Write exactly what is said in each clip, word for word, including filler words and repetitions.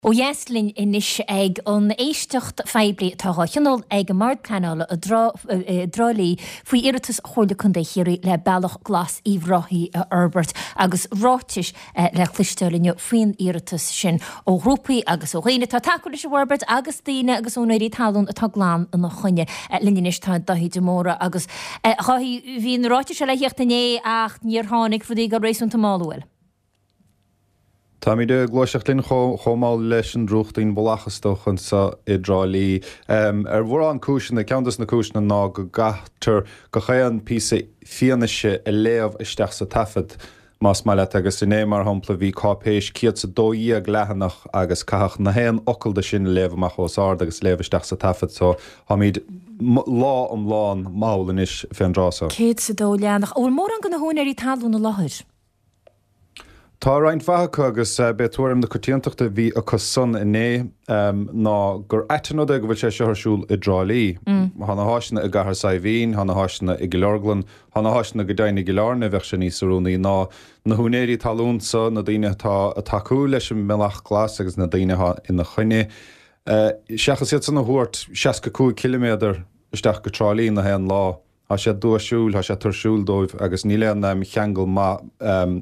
Ó dheas linn anois ag an éisteacht phoiblí atá á thionól ag an mBord Pleanála i dTrá Lí faoi iarratas Chomhairle Contae Chiarraí le Bealach Glas Uíbh Ráthaigh a fhorbairt agus ráitis le cloisteáil inniu faoin iarratas sin ó ghrúpaí agus ó dhaoine atá ag tacú leis an bhforbairt agus daoine agus úinéirí talún atá glan ina choinne. Linn anois tá Dáithí de Mórdha agus a Dháithí, bhí na ráitis seo le theacht inné ach níor tháinig, rudaí ag dul réasúnta mall, an bhfuil? Táimid ag gluaiseacht linn chomh mall leis an drúchtín bhallach is dócha anseo i dTrá Lí. Ar mhórán cúiseanna, ceann dos na cúiseanna ná go gcaithfear gach aon píosa fianaise a léamh isteach sa taifead, más maith leat, agus inné, mar shampla, bhí cáipéis céad 's a dó dhéag leathanach agus caitheadh na haon fhocal de sin a léamh amach os ard agus léamh isteach sa taifead, so táimid lá iomlán mall anois fén dtráth so. Céad 's a dó leathanach. An bhfuil mórán de na húinéirí talún i láthair? Tá roinnt mhaith acu agus b'é tuairim na coitiantachta a bhí acu san inné ná gur ait an rud é go bhfuil sé seo ar siúl i dTrá Lí. Tá na háiseanna i gCathair Saidhbhín, tá na háiseanna i gCill Orglan, tá na háiseanna go deimhin i gCill Airne, bheadh sé níos oiriúnaí ná na húinéirí talún so, na daoine atá ag tacú leis an mBealach Glas agus na daoine atá ina choinne. Seachas iad san a thabhairt seasca cúig ciliméadar isteach go Trá Lí na haon lá. Tá sé duaisiúil, tá sé tuirsiúil dóibh agus níl aon cheangal maith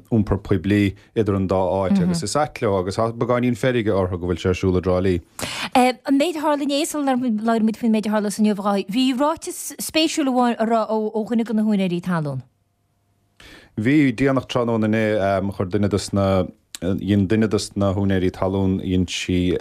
iompar poiblí idir an dá áit agus is ait leo agus tá beagáinín feirge orthu go bhfuil sé ar siúl i dTrá Lí. An méid a tharla inné, sula labhraímid faoin méid a tharla inniu, a Dháithí, bhí ráiteas spéisiúil amháin a rá ó dhuine de na húinéirí talún. Bhí, déanach tráthnóna inné, chuir duine dos na, dhein duine dos na húinéirí talún, dhein sí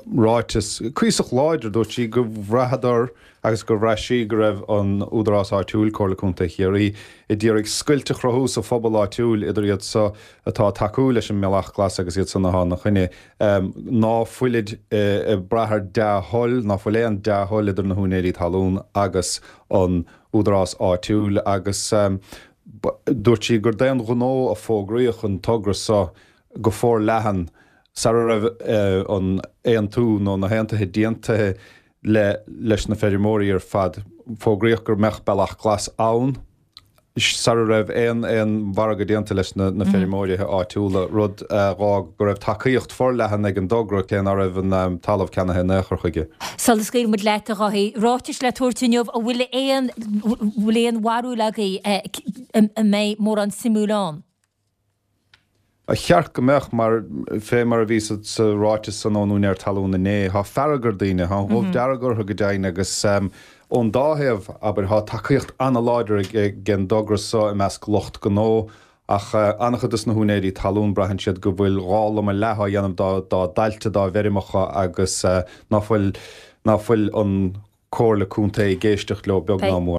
ráiteas cuíosach láidir, dúirt sí go bhraitheadar agus gur bhraith sí go raibh an údarás áitiúil, Comhairle Contae Chiarraí, a d'iarraidh scoilt a chruthú sa phobal áitiúil idir iad so atá ag tacú leis an mBealach Glas agus iad san atá ina choinne, ná fuilid ag brath ar dea-thoil, ná fuil aon dea-thoil idir na húinéirí talún agus an údarás áitiúil agus dúirt sí gur d'aon ghnó a fógraíodh an togra so go forleathan sara raibh an aontú nó na haontuithe déanta le leis na feirmeoirí ar fad. Fógraíodh go mbeadh Bealach Glas ann sara raibh aon aon mhargadh déanta leis na na feirmeoirithe áitiúla, rud a dh'fhág go raibh tacaíocht forleathan ag an dtogra cé ná raibh an talamh ceannaithe in aon chor chuige. Sula scaoilfidh muid leat, a Dháithí, ráitis le tabhairt inniu, an bhfuil aon bhfuil aon bharúil agaibh an mbeidh mórán suimiúil ann? Ba cheart go mbeadh, mar fé mar a bhí sa ráiteas san ón úinéir talún inné, tá fearg ar daoine, tá an ghoimh dearg orthu go deimhin agus ón dá thaobh, abair, tá tacaíocht an-láidir ag an dtogra so i measc lucht gnó ach an-chuid dos na húinéirí talún, braitheann siad go bhfuil dhá lomadh leath á dhéanamh dá dtailte, dá bhfeirmeacha agus ná fuil, ná fuil an Comhairle Contae ag éisteacht leo beag ná mór.